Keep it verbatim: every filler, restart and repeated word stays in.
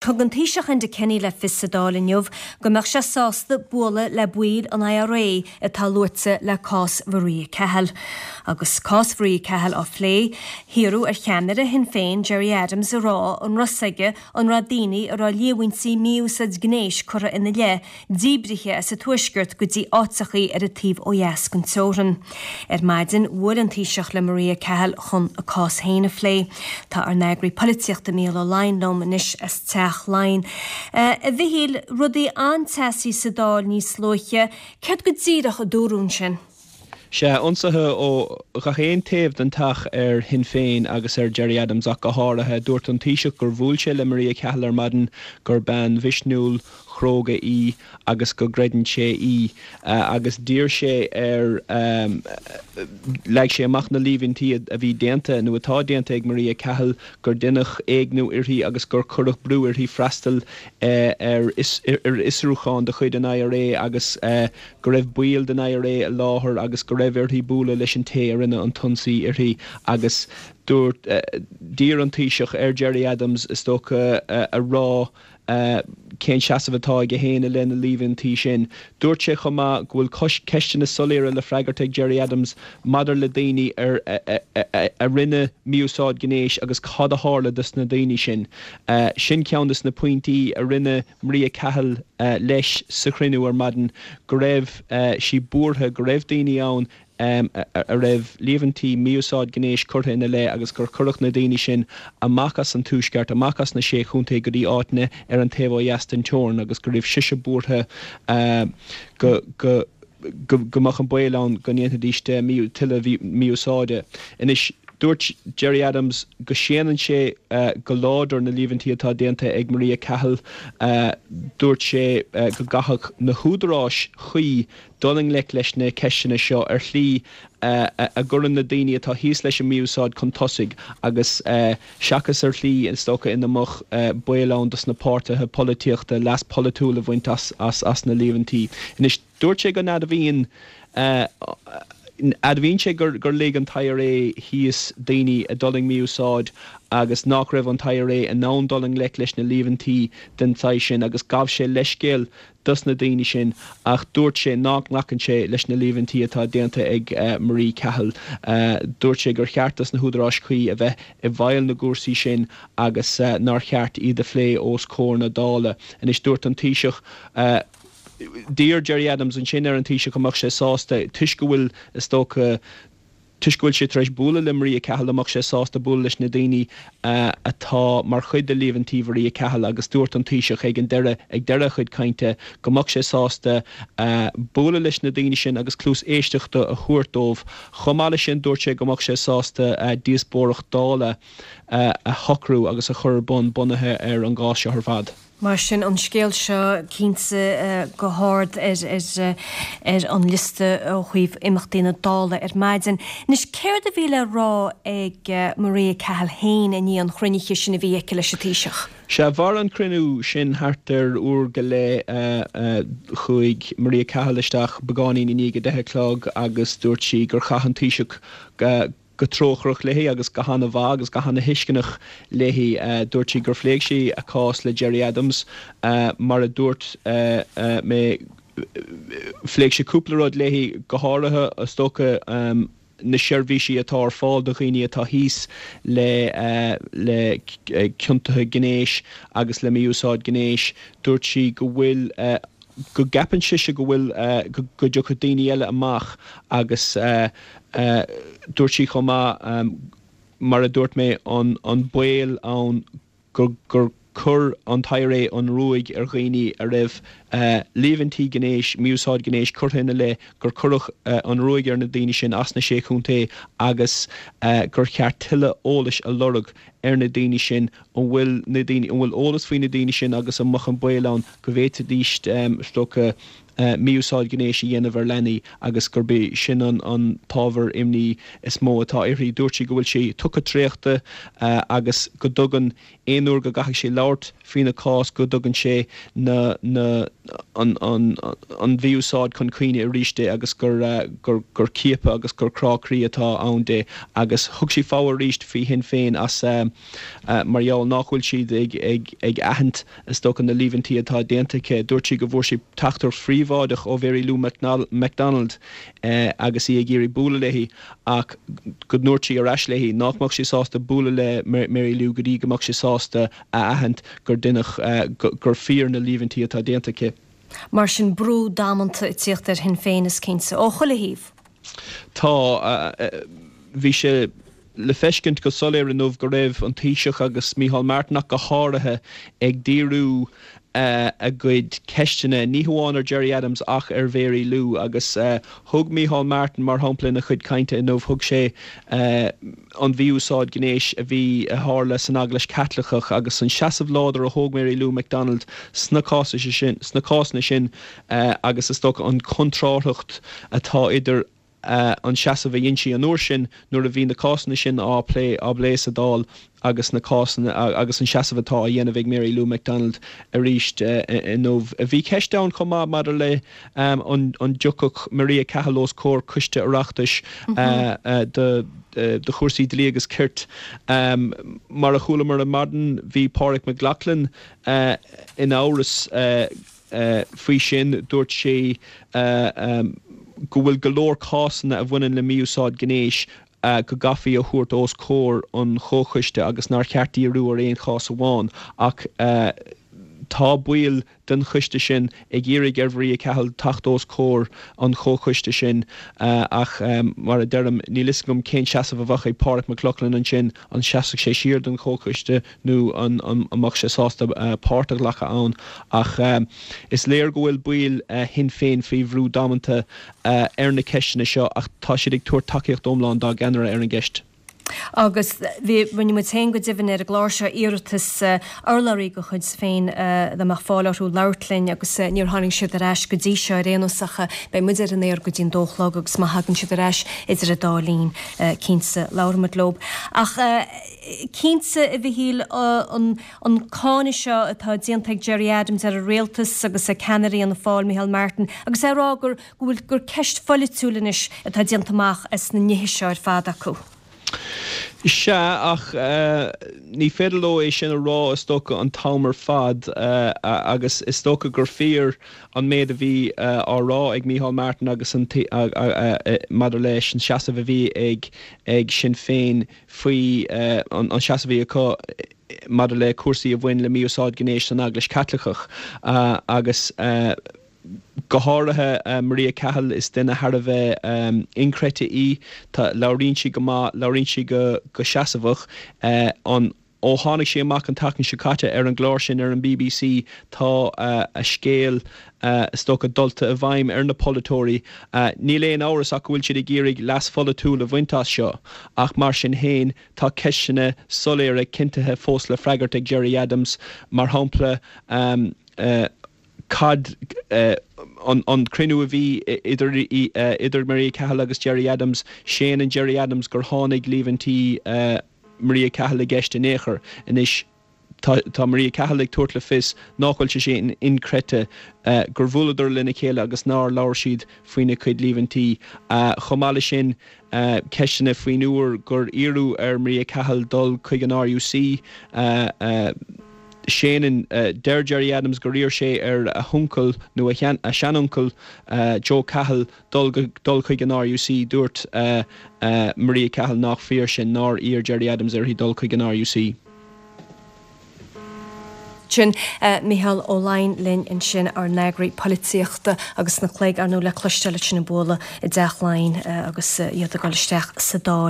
Thug an Taoiseach Enda Kenny le fios sa Dáil inniu go mbeadh sé sásta bualadh le baill an I R A atá luaite le cás Mharia Cahill. Agus cás Mharia Cahill á phlé, hiarradh ar cheannaire Shinn Féin Gerry Adams a rá an raibh a fhios aige an raibh daoine a raibh líomhaintí mí-úsáid gnéis curtha ina leith díbrithe as an Tuaisceart go dtí áiteachaí ar an taobh ó dheas den teorainn. Ar maidin bhuail an Taoiseach le Maria Cahill chun a cás féin a phlé. Tá ár n-eagraí polaitíochta Mícheál Ó Laighin liom anois as Teach Laighean. Uh, a Mhichíl, rudaí an-teasaí sa Dáil níos luaithe, céard go díreach a dúradh ansin? Sé ionsaithe ó gach aon taobh den teach ar Shinn Féin agus ar Gerry Adams ach go háirithe. Dúirt an Taoiseach gur bhuail sé le Maria Cahill ar maidin, gur bean mhisniúil chróga í agus go gcreideann sé í uh, agus d'iarr sé ar um, leag sé amach na líomhaintí a bhí déanta nó atá déanta ag Maria Cahill, gur deineadh éigniú uirthi agus gur cuireadh brú uirthi freastal uh, ar ar fhiosrúchán de chuid an I R A agus uh, go raibh baill den I R A i láthair agus go raibh uirthi bualadh leis an té a rinne an t-ionsaí uirthi. Agus dúirt uh, d'iarr an Taoiseach ar Gerry Adams, is dócha, uh, a rá uh, cén seasamh atá aige féin i leith na líomhaintí sin. Dúirt sé chomh maith go bhfuil ceisteanna soiléire le freagairt ag Gerry Adams maidir le daoine ar a, a, a, a rinne mí-úsáid gnéis agus cad a tharla dos na daoine sin. Uh, sin ceann des na pointí a rinne Maria Cahill uh, leis sa chruinniú ar maidin, go raibh uh, sí buartha go raibh daoine ann um, a, a raibh líomhaintí mí-úsáid gnéis curtha ina leith agus gur cuireadh na daoine sin amach as an Tuaisceart, amach as na sé chontae go dtí áiteanna ar an taobh ó dheas den teorainn, agus go raibh sise buartha uh, go go go go mbeadh an baol ann go ndéanfaidís tuilleadh mí-úsáide. Anois dúirt Gerry Adams go séanann sé uh, go láidir na líomhaintí atá déanta ag Maria Cahill. uh, dúirt sé uh, go gcaithfidh na húdaráis chuí dul i ngleic leis na ceisteanna seo ar shlí uh, a gcuireann na daoine atá thíos leis an mí-úsáid chun tosaigh agus uh, seachas ar shlí, is dócha, ina mbeadh uh, baol ann dos na páirtithe polaitíochta leas polaitiúil a bhaint as, as, as na líomhaintí. Anois dúirt sé go n-admhaíonn uh, admhaíonn sé gur gur lig an I R A thíos daoine a d'fhulaing mí-úsáid agus nach raibh an I R A in ann dul i ngleic leis na líomhaintí den tsaghas sin, agus ghabh sé leithscéal dos na daoine sin, ach dúirt sé nach nglacann sé leis na líomhaintí atá déanta ag uh, Marie Cahill. Uh, dúirt sé gur cheart dos na húdaráis chuí a bheith i bhfeighil na gcúrsaí sin agus uh, nár cheart iad a phlé os comhair na Dála. Anois dúirt an Taoiseach uh, d'iarr Gerry Adams ansin ar an Taoiseach go mbeadh sé sásta, toisc go bhfuil, is dócha, toisc go bhfuil sé tar éis bualadh le Maria Cahill, an mbeadh sé sásta bualadh leis na daoine uh, atá mar chuid de líomhaintí Maria Cahill, agus dúirt an Taoiseach ag an deireadh ag deireadh a chuid cainte go mbeadh sé sásta uh, bualadh leis na daoine sin agus cluas éisteachta a thabhairt dóibh. Chomh maith leis sin, dúirt sé go mbeadh sé sásta uh, díospóireacht Dála uh, a shocrú agus a chur bun bunaithe ar an gcás seo ar fad. Mar sin, an scéal seo cinnte uh, go hard ar, ar, uh, ar an liosta ó thaobh imeachtaí na Dála ar maidin. Anois céard a bhí le rá ag uh, Maria Cahill féin i ndiaidh an chruinnithe sin a bhí aici leis an Taoiseach? Sé mhair an cruinniú sin thart ar uair go leith. uh, uh, chuaigh Maria Cahill isteach beagáinín i ndiaidh a deich a chlog agus dúirt sí gur chaith an Taoiseach uh, go trócaireach léi agus go han-mhaith agus go han-thuisceanach léi. uh, dúirt sí gur phléigh sí a cás le Gerry Adams. uh, mar a dúirt uh, uh, mé, phléigh sé cúpla rud léi, go háirithe, is dócha, um, na seirbhísí atá ar fáil do dhaoine atá thíos le uh, le ciontuithe gnéis agus le mí-úsáid gnéis. Dúirt sí go bhfuil uh, go gceapann sise go bhfuil uh, go dtiocfaidh daoine eile amach agus uh, uh, dúirt sí chomh maith, um, mar a dúirt mé, an, an baol ann gur, gur chuir an I R A an ruaig ar dhaoine a raibh uh, líomhaintí gnéis, mí-úsáid gnéis curtha ina leith, gur cuireadh uh, an ruaig ar na daoine sin as na sé chontae agus uh, gur cheart tuilleadh eolais a lorg ar na daoine sin, an bhfuil na daoine an bhfuil eolas faoi na daoine sin agus an mbeadh an baol ann go bhféadfaidís um, is dócha mí-úsáid gnéis a dhéanamh ar leanaí agus gurb é sin an an t-ábhar imní is mó atá uirthi. Dúirt sí go bhfuil sí tugtha traochta agus go dtugann aon uair go gcaithfidh sí labhairt faoina cás go dtugann sé na na an an an mhí-úsáid chun cuimhne arís di agus gur gur gur ciapadh agus gur crá croí atá ann di agus thug sí fogha arís faoi Shinn Féin as mar gheall nach bhfuil siad ag ag ag aithint is dócha na líomhaintí atá déanta aici. Dúirt sí go bhfuair sí teachtaireacht phríobháideach ó Mhary Lou McDonald agus í ag iarraidh bualadh léi ach go ndúirt sí ar ais léi nach mbeadh sí sásta bualadh le Mary Lou go dtí go mbeadh sí sásta a aithint gur duine gur fíor na líomhaintí atá déanta aici. Mar sin brú damanta ag tíocht ar Shinn Féin is cinnte ó chuile thaobh. Tá bhí sé le feiscint go soiléir inniu go raibh an Taoiseach agus Micheál Martin ach go háirithe ag díriú a gcuid ceisteanna ní hamháin ar Gerry Adams ach ar Mhary Lou agus thug Micheál Martin mar shampla ina chuid cainte inniu thug sé an mhí-úsáid gnéis a bhí a tharla san Eaglais Chaitliceach agus an seasamh láidir a thóg Mary Lou McDonald sna cásanna sin sna cásanna sin agus is dócha an contrárthacht atá idir an seasamh a dhein sí an uair sin nuair a bhí na cásanna sin á plé á bplé sa Dáil agus na cásanna agus an seasamh atá á dhéanamh ag Mary Lou McDonald arís inniu. Bhí ceist ann chomh maith maidir le an an dtiocfadh Maria Cahill os comhair coiste Oireachtais do do chúrsaí dlí agus cirt. Mar a chualamar ar maidin bhí Pádraig Mac Lochlainn in amhras faoi sin dúirt sé go bhfuil go leor cásanna a bhaineann le mí-úsáid gnéis go gcaithfí a thabhairt os comhair an chomhchoiste agus nár cheart díriú ar aon chás amháin ach tá baill den choiste sin ag iarraidh ar Mharia Cahill teacht os comhair an chomhchoiste sin ach mar a deirim níl a fhios agam cén seasamh a bheadh ag Pádraig Mac Lochlainn ansin an seasfadh sé siar den chomhchoiste nó an an mbeadh sé sásta páirt a ghlacadh ann ach is léir go bhfuil baill Shinn Féin faoi bhrú damanta ar na ceisteanna seo ach tá siad ag tabhairt tacaíocht iomlán dá gceannaire ar an gceist. Agus bhí rinne muid féin go deimhin ar an gclár seo iarratas urlabhraí de chuid féin dá mbeadh fáil orthu labhairt linn agus níor tháinig siad ar ais go dtí seo ar aon nós ach beidh muid ar an aer go dtí'n dó a chlog agus má thagann siad ar ais idir an dá linn cinnte labhróimid leo. Ach cinnte a Mhichíl an an cáineadh seo atá déanta ag Gerry Adams ar an rialtas agus ag ceannairí Fhianna Fáil Micheál Martin agus é rá gur go bhfuil gur ceist pholaitiúil anois atá déanta amach as na nithe seo ar fad acu. Sea ach ní féidir leo é sin a rá is dócha an t-am ar fad agus is dócha gur fíor an méid a bhí á rá ag Micheál Martin agus an maidir leis an seasamh a bhí ag ag Sinn Féin faoi an seasamh a bhí acu maidir le cúrsaí a bhain le mí-úsáid gnéis san Eaglais Chaitliceach agus go háirithe Maria Cahill is duine thar a bheith inchreidte í Tá labhraíonn sí go maith labhraíonn sí go go seasamhach an ó tháinig sí amach an tseachtain seo caite ar an gclár sin ar an BBC tá a scéal is dócha dulta i bhfeidhm ar na polaiteoirí. Níl aon amhras ach go bhfuil siad ag iarraidh leas pholaitiúil a bhaint as seo ach mar sin féin tá ceisteanna soiléire cinntithe fós le freagairt ag Gerry Adams mar shampla um, uh, cad uh, an, an cruinniú a bhí idir, uh, idir Maria Cahill agus Gerry Adams, séanann Gerry Adams gur tháinig líomhaintí uh, Maria Cahill i gceist in aon chor anois tá, tá Maria Cahill ag tabhairt le fios nach bhfuil sé sin inchreidte uh, gur bhuaileadar lena chéile agus nár labhair siad faoina cuid líomhaintí. Uh, chomh maith leis sin uh, ceisteanna faoin uair gur iarradh ar Maria Cahill dul chuig an RUC uh, uh, Séanann uh, deir Gerry Adams gur iarr sé ar a huncail nó a, a seanuncail uh, Joe Cahill dul dul chuig an RUC dúirt uh, uh, Maria Cahill nach fíor sin nár iarr Gerry Adams uirthi dul chuig an RUC. Sin uh, Micheál Ó Laighin linn ansin ár n-eagraí polaitíochta agus na cléig arnú le cloisteáil sin an bualadh i dTeach Laighean uh, agus uh, iad ag dul isteach sa Dáil.